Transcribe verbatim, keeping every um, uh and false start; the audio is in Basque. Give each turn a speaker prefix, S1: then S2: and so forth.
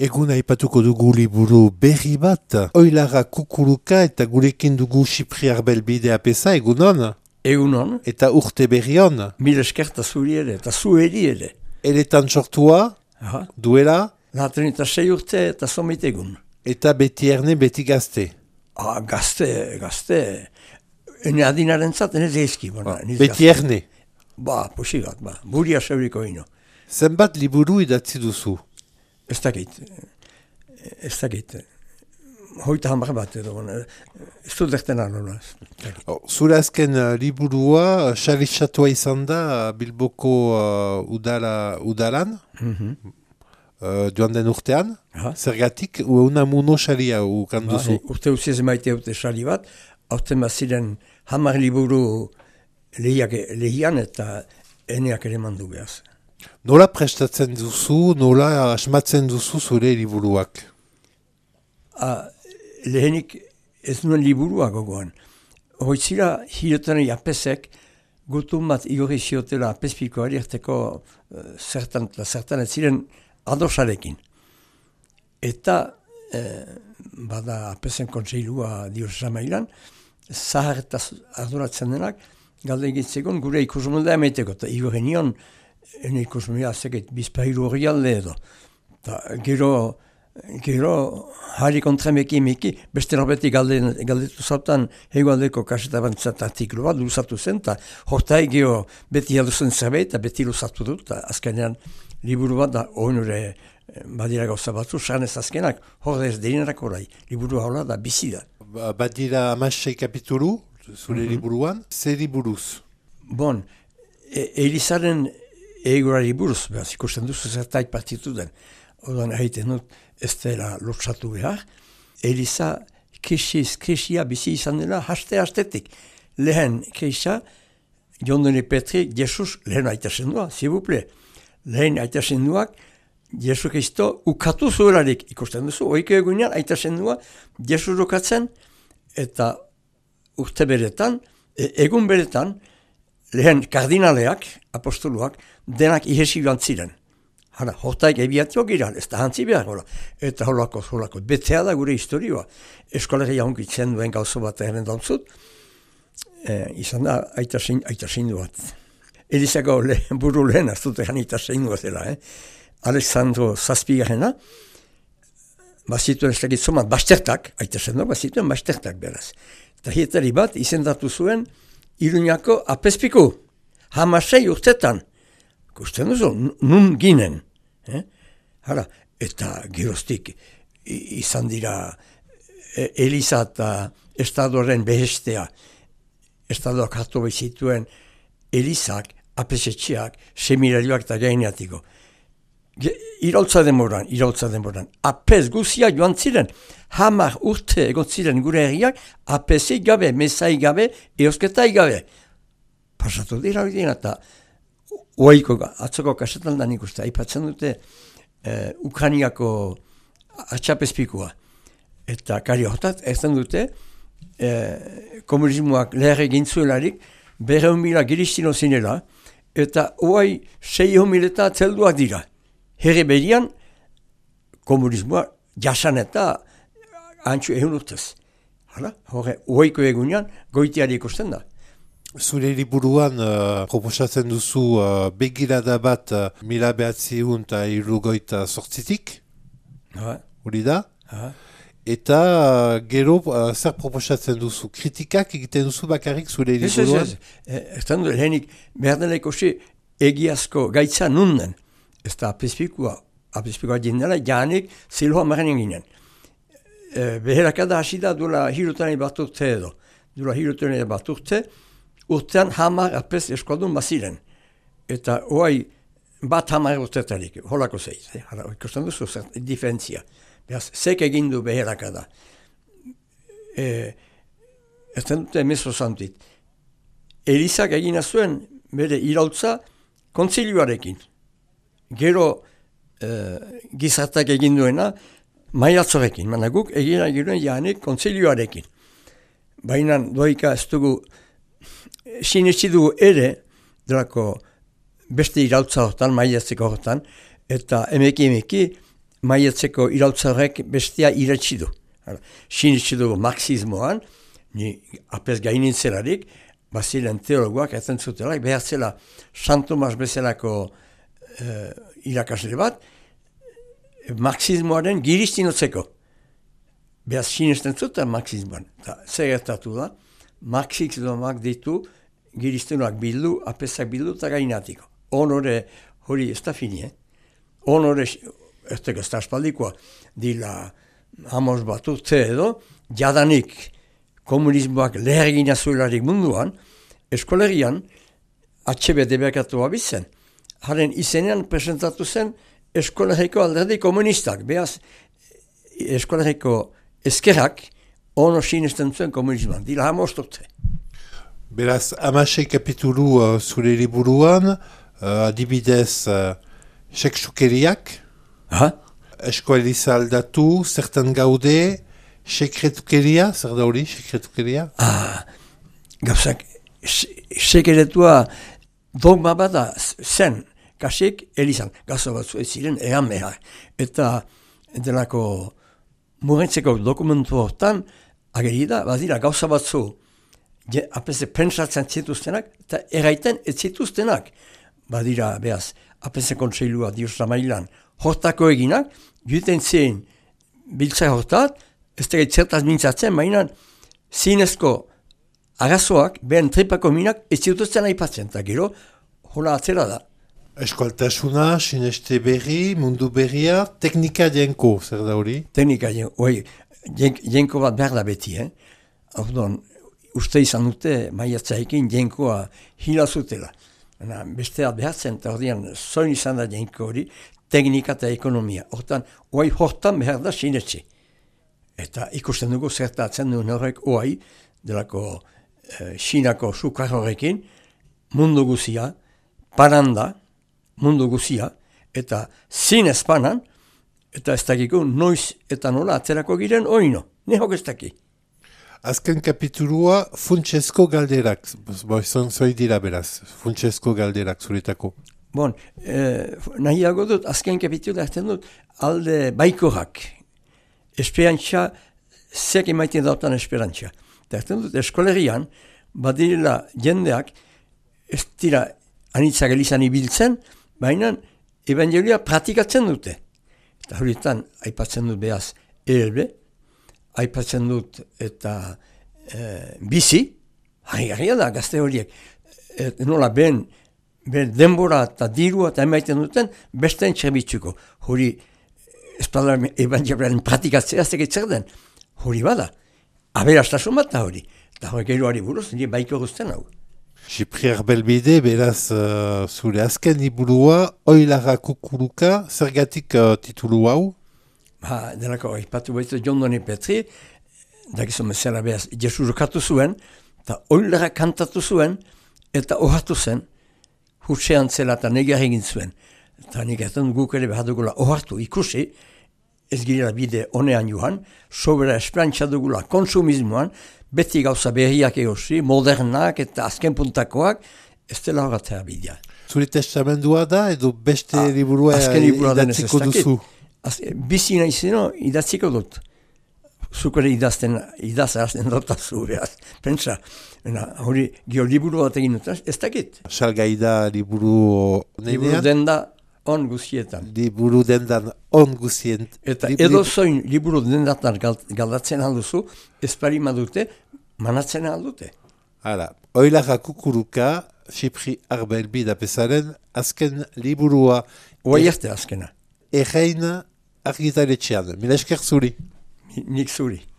S1: Egun aipatuko dugu liburu berri bat, Oilara Kukuruka eta gurekin dugu Sipriar Belbide apesa, egunon?
S2: Egunon.
S1: Eta urte berri hon?
S2: Mil eskerta zuri ere, eta zu eri ere.
S1: Eletan sortua,
S2: Aha.
S1: duela,
S2: Laten eta sei urte eta somit egun.
S1: eta beti erne beti gazte.
S2: Ah, gazte, gazte. Ene adinaren zaten ez ezki. Bona,
S1: Ah, beti erne.
S2: Ba, posigat, ba. Buria seuriko ino.
S1: Zenbat liburu idatzi duzu?
S2: Ez dakit. Ez dakit. Hoita hamar bat edo. Bona. Ez dut erten alola.
S1: Oh, zure azken uh, liburua, xaritxatua izan da uh, Bilboko uh, udala, udalan,
S2: Mhm.
S1: uh, joan den urtean.
S2: Aha.
S1: Zergatik, una muno xaria ukan
S2: Ba,
S1: duzu.
S2: urte uziz maite dute sali bat, hauten bat ziren hamar liburu lehiak, lehian eta eneak ere mandu behaz.
S1: Nola prestatzen duzu, nola asmatzen duzu zure liburuak?
S2: A, lehenik ez nuen liburua gogoan. Hoitzira hilotan apesek gutun bat igorri ziotela apespikoari erteko uh, zertan, zertan ez ziren adosarekin. Eta eh, bada apesen kontseilua dios zamailan, zahar eta arduratzen denak, galde egitzekon gure ikusmolda emeiteko, eta igorri nion, ene ikusmolda zeket bizpahiru hori alde edo. Ta, gero, gero, harri kontremeki emeki, beste norbeti galde, galdetu zautan, hegoaldeko kaseta bantzat artiklu bat, luzatu zen, eta hortai geho beti alduzen zerbait, eta beti luzatu dut, eta azkenean liburu bat da, oinure badira gauza batzu, sarnez azkenak, hor ez deinerak orai, liburu haula da, bizi da.
S1: Ba- Badira amasei kapitulu, zure
S2: Mhm.
S1: liburuan, zer liburuz?
S2: Bon, e Elizaren egurari buruz, behaz, ikusten duzu zertaik partitu den. Odan haiten dut, ez dela lotsatu behar. Eliza krisiz, krisia bizi izan dela haste-hastetik. Lehen krisia, Jondone Petri, Jesus, lehen aitasen dua, zibuple. Lehen aitasen duak, Jesu Kristo ukatu zuelarik ikusten duzu. Oiko egunean aitasen dua, Jesus ukatzen, eta urte beretan, e, egun beretan, lehen kardinaleak, apostoluak, denak ihesi joan ziren. Hara, hortaik ebiatio gira, ez da hantzi behar, hola. Eta holako, holako, betea da gure historioa. Eskolegia honkitzen duen gauzo bat egin dauzut, e, izan da aitasin, aitasin bat. Elizako le, buru lehen, ez dut egin aitasin zela, eh? Alexandro Zazpigarrena, bazituen ez dakit zomat, bastertak, aitasen du, bazituen bastertak beraz. Eta hietari bat izendatu zuen Iruñako apezpiku, hamasei urtetan. Kusten duzu, nun ginen. Eh? Hala, eta geroztik i- izan dira e, Eliza eta estadoren behestea, estadoak hartu bezituen Elizak, apesetxeak, seminarioak eta gaineatiko. Ge- Irautza demoran, irautza demoran. Apez guzia joan ziren, hamar urte egon ziren gure herriak, apezei gabe, mesai gabe, eosketai gabe. Pasatu dira hori dira, eta oaiko, atzoko kasetan da nik uste, aipatzen dute eh, Ukraniako atxapezpikua. Eta kari hortat, ezten dute, eh, komunismoak leher egin zuelarik, berreun mila giristino zinela, eta oai seiehun mileta zelduak dira. Herri berian, komunismoa jasan eta antxu ehun urtez. Hala, horre, oaiko egunean, goitiari ikusten da.
S1: Zure liburuan uh, proposatzen duzu uh, begirada bat uh, mila behatziehun eta hirurogeita zortzitik,
S2: Ha,
S1: hori da?
S2: ha.
S1: Eta uh, gero uh, zer proposatzen duzu? Kritikak egiten duzu bakarrik zure
S2: Ez, ez,
S1: liburuan?
S2: ez. E, Ezten du, lehenik, behar dela ikusi egiazko gaitza nunden. Ez da apezpikua, apezpikua jendela, janik ziloa maren ginen. E, beherakada hasi da duela hirutanei bat urte edo. Duela hirutanei bat urte, urtean hamar apez eskualdun baziren. Eta oai bat hamar urtetarik, holako zeiz. Eh? Hala, ikusten duzu, zer, diferentzia. Beraz, zek egin du beherakada. E, ez dute meso zantit. Elizak egina zuen bere irautza kontzilioarekin. Gero eh, gizartak egin duena maiatzorekin. Mana guk egina giruen janik kontzilioarekin. Baina doika ez dugu sinetsi dugu ere delako beste irautza hortan, maiatzeko hortan, eta emeki emeki maietzeko irautza bestea iratsi du. Sinitsi du marxismoan, ni apez gainintzelarik, bazilen teologoak etzen zutelak, behar zela San Tomas bezalako uh, irakasle bat, marxismoaren giristinotzeko. Behaz sinisten zuten marxismoan. Ta, zer gertatu da, marxismoak ditu giristinoak bildu, apezak bildu eta gainatiko. Honore hori ez da fini, eh? Honore, ez da ez da espaldikoa, dila hamos bat urte edo, jadanik komunismoak lehergina zuelarik munduan, eskolerian H B debekatua bizen. Haren izenean presentatu zen eskoleriko alderdi komunistak. Beaz, eskoleriko eskerrak ono sinesten zuen komunismoan. Dila hamos urte.
S1: Beraz, hamasei kapitulu uh, zure liburuan, uh, adibidez, uh, seksukeriak, esko eliza aldatu, zertan gaude, sekretukeria, zer da hori, sekretukeria?
S2: Ah, gauzak, sekretua dogma bada zen, kasik elizan, gauza batzu ez ziren egan behar. Eta delako murentzeko dokumentu hortan, agerida, badira gauza batzu, apese pentsatzen zituztenak, eta erraiten ez zituztenak. Badira, behaz, apese kontseilua diosra mailan, hortako eginak, juten zen biltza hortat, ez da zertaz mintzatzen, baina zinezko arazoak, behen tripako minak, ez zituzten aipatzen, eta gero, hola atzera da.
S1: Eskualtasuna, sineste berri, mundu berria, teknika jenko, zer da hori?
S2: Teknika jenko, oi, jenko bat behar da beti, eh? Ordon, uste izan dute, maiatzaikin jenkoa hila zutela. Besteat behatzen, eta ordean, zoin izan da jenko hori, teknika eta ekonomia. Hortan, oai hortan behar da sinetxe. Eta ikusten dugu zertatzen duen horrek oai, delako eh, Xinako sukar horrekin, mundu guzia, paranda, mundu guzia, eta zinez panan, eta ez dakiko noiz eta nola atzerako giren oino. Nehok ez daki.
S1: Azken kapitulua funtsezko galderak, boizon zoi dira beraz, funtsezko galderak zuretako.
S2: Bon, eh, nahiago dut, azken kapitula hartzen dut, alde baikorak, esperantza, zek emaiten dautan esperantza. Eta hartzen dut, eskolerian, badirela jendeak, ez dira anitzak elizan ibiltzen, baina evangelia praktikatzen dute. Eta horietan, aipatzen dut behaz, E L B, aipatzen dut eta e, bizi, harri da, gazte horiek, et, nola ben, ben denbora eta dirua eta emaiten duten, besteen txerbitzuko. Hori, espadar evangeliaren pratikatzea zer den, hori bada, aberastasun bat da hori. Eta hori geroari buruz, nire baiko guztien hau.
S1: Xipriar Belbide, beraz, uh, zure azken liburua, Oilara Kukuruka, zergatik uh, titulu hau?
S2: Ba, delako, ipatu baitu John Doni Petri, dakizu mezela behaz, Jesu rokatu zuen, eta Oilara kantatu zuen, eta ohatu zen, hutsean zela eta negar egin zuen. Eta nik ezten guk ere behar dugula ohartu ikusi, ez girela bide honean joan, sobera esperantza dugula konsumismoan, beti gauza berriak egosi, modernak eta azken puntakoak, ez dela horatzea bidea.
S1: Zure testamendua da, edo beste ah, liburua idatziko duzu?
S2: Bizi nahi zeno, idatziko dut. Zukore idazten, idazten dotazu behaz. Pentsa, hori gio liburu bat egin dut, ez dakit.
S1: Salgai da liburu nenean?
S2: Liburu denda on guzietan.
S1: Liburu dendan on guzien.
S2: Eta edo zoin liburu dendatan galdatzen alduzu, ez parima dute, manatzen aldute.
S1: Hala, Oilara Kukuruka, Xipriar Belbide pesaren, azken liburua.
S2: Oai erte azkena.
S1: Erreina argitaretxean. Mila esker zuri.
S2: Nik zuri.